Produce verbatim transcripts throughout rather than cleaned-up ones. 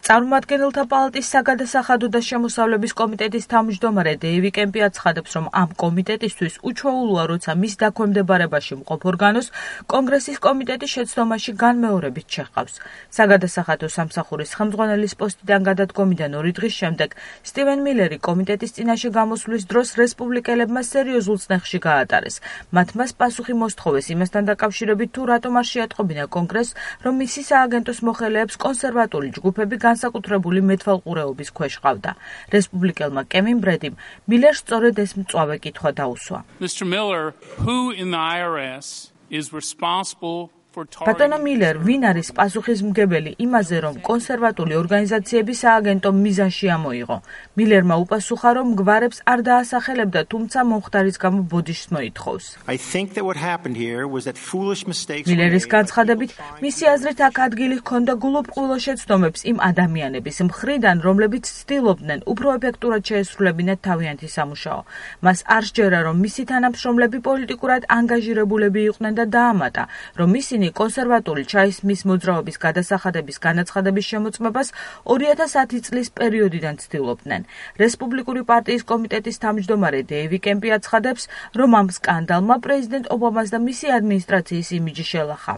წარმომადგენელთა პალატის საგადასახადო და შემოსავლების კომიტეტის თავმჯდომარე დეივი კემპი აცხადებს, რომ ამ კომიტეტისთვის უჩვეულოა, როცა მის დაქვემდებარებაში მყოფ ორგანოს კონგრესის კომიტეტის შეცდომაში განმეორებით შეჰყავს. საგადასახადო სამსახურის ხელმძღვანელის პოსტიდან გადადგომიდან ორი დღის შემდეგ სტივენ მილერი კომიტეტის წინაშე გამოსვლის დროს რესპუბლიკელებმა სერიოზულ წნეხში გაატარეს. მათ მას პასუხი მოსთხოვეს იმასთან დაკავშირებით, თუ რატომ არ შეატყობინა კონგრესს, რომ მისი სააგენტოს მოხელეებს კონსერვატული ჯგუფები განსაკუთრებული მეტვალყურეობის ქვეშ ყავდა. რესპუბლიკელმა კევინ ბრედიმ მილერს სწორედ ეს მწვავე კითხვა დაუსვა. Mister Miller, who in the I R S is responsible ბატონო მილერ, ვინ არის პასუხისმგებელი იმაზე, რომ კონსერვატული ორგანიზაციები სააგენტო მიზანში ამოიღო? მილერმა უპასუხა, რომ გვარებს არ დაასახელებდა, თუმცა მომხდარის გამო ბოდიშს მოითხოვს. მილერის განცხადებით, მისი აზრით აქ ადგილი ჰქონდა გულუბრყვილო შეცდომებს იმ ადამიანების მხრიდან, რომლებიც ცდილობდნენ უფრო ეფექტურად შეესრულებინათ თავიანთი სამუშაო. მას არ სჯერა, რომ მისი თანამშრომლები პოლიტიკურად ანგაჟირებულები იყვნენ და დაამატა, რომ ისინი კონსერვატული ჩაისმის მოძრაობის გადასახადების განაცხადების შემოწმებას ორი ათას ათი წლის პერიოდიდან ცდილობდნენ. რესპუბლიკური პარტიის კომიტეტის თავმჯდომარე დეივი კემპი აცხადებს, რომ ამ სკანდალმა პრეზიდენტ ობამას და მისი ადმინისტრაციის იმიჯი შელახა.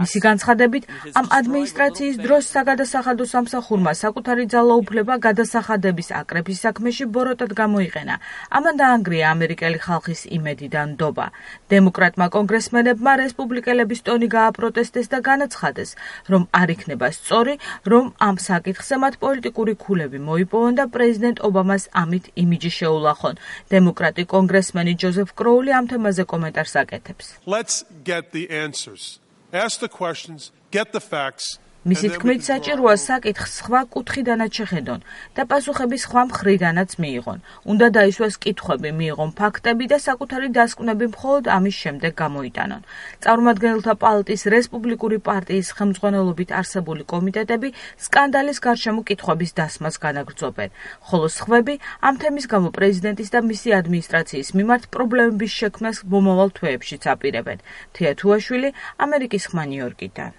მისი განცხადებით, ამ ადმინისტრაციის დროს საგადასახადო სამსახურმა საკუთარი ძალაუფლება გადასახადების აკრეფის საქმეში ბოროტად გამოიყენა. ამან დაანგრია ამერიკელი ხალხის იმედი და ნდობა. დემოკრატმა კონგრესმენებმა რესპუბლიკელების ტონი გააპროტესტეს და განაცხადეს, რომ არ იქნება სწორი, რომ ამ საკითხზე მათ პოლიტიკური ქულები მოიპოვონ და პრეზიდენტ ობამას ამით იმიჯი შეულახონ. დემოკრატი კონგრესმენი ჯოზეფ კროული ამ თემაზე კომენტარს აკეთებს. Let's get the answers. Ask the questions, get the facts. მისი თქმით, საჭიროა საკითხს სხვა კუთხიდანაც შეხედონ და პასუხები სხვა მხრიდანაც მიიღონ. უნდა დაისვას კითხვები, მიიღონ ფაქტები და საკუთარი დასკვნები მხოლოდ ამის შემდეგ გამოიტანონ. წარმომადგენელთა პალატის რესპუბლიკური პარტიის ხელმძღვანელობით არსებული კომიტეტები სკანდალის გარშემო კითხვების დასმას განაგრძობენ, ხოლო სხვები ამ თემის გამო პრეზიდენტის და მისი ადმინისტრაციის მიმართ პრობლემების შექმნას მომავალ თვეებშიც აპირებენ. თეა თუაშვილი, ამერიკის ხმა ნიუ-იორკიდან.